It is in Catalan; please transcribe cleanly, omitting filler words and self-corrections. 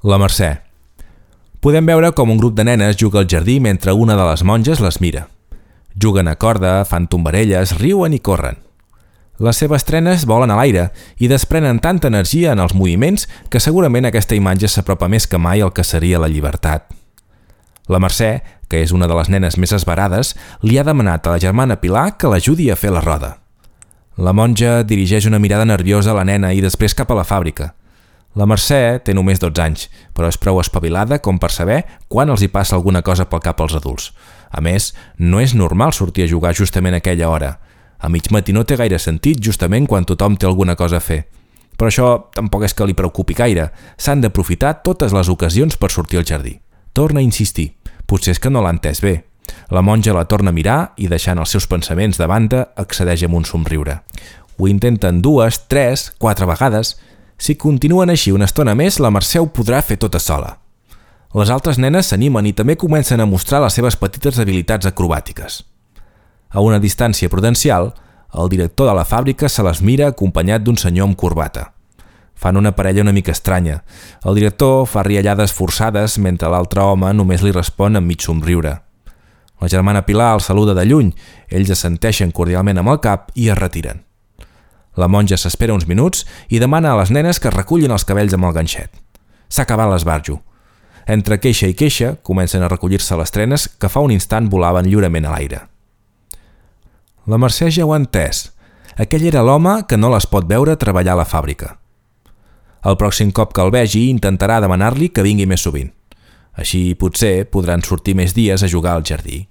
La Mercè. Podem veure com un grup de nenes juga al jardí mentre una de les monges les mira. Juguen a corda, fan tombarelles, riuen i corren. Les seves trenes volen a l'aire i desprenen tanta energia en els moviments que segurament aquesta imatge s'apropa més que mai al que seria la llibertat. La Mercè, que és una de les nenes més esverades, li ha demanat a la germana Pilar que l'ajudi a fer la roda. La monja dirigeix una mirada nerviosa a la nena i després cap a la fàbrica. La Mercè té només 12 anys, però és prou espavilada com per saber quan els hi passa alguna cosa pel cap als adults. A més, no és normal sortir a jugar justament a aquella hora. A mig matí no té gaire sentit justament quan tothom té alguna cosa a fer. Però això tampoc és que li preocupi gaire. S'han d'aprofitar totes les ocasions per sortir al jardí. Torna a insistir. Potser és que no l'ha entès bé. La monja la torna a mirar i, deixant els seus pensaments de banda, accedeix amb un somriure. Ho intenten 2, 3, 4 vegades. Si continuen així una estona més, la Mercè ho podrà fer tota sola. Les altres nenes s'animen i també comencen a mostrar les seves petites habilitats acrobàtiques. A una distància prudencial, el director de la fàbrica se les mira acompanyat d'un senyor amb corbata. Fan una parella una mica estranya. El director fa riallades forçades mentre l'altre home només li respon amb mig somriure. La germana Pilar el saluda de lluny, ells assenteixen cordialment amb el cap i es retiren. La monja s'espera uns minuts i demana a les nenes que recullin els cabells amb el ganxet. S'ha acabat l'esbarjo. Entre queixa i queixa comencen a recollir-se les trenes que fa un instant volaven lliurement a l'aire. La Mercè ja ho ha entès. Aquell era l'home que no les pot veure treballar a la fàbrica. El pròxim cop que el vegi intentarà demanar-li que vingui més sovint. Així potser podran sortir més dies a jugar al jardí.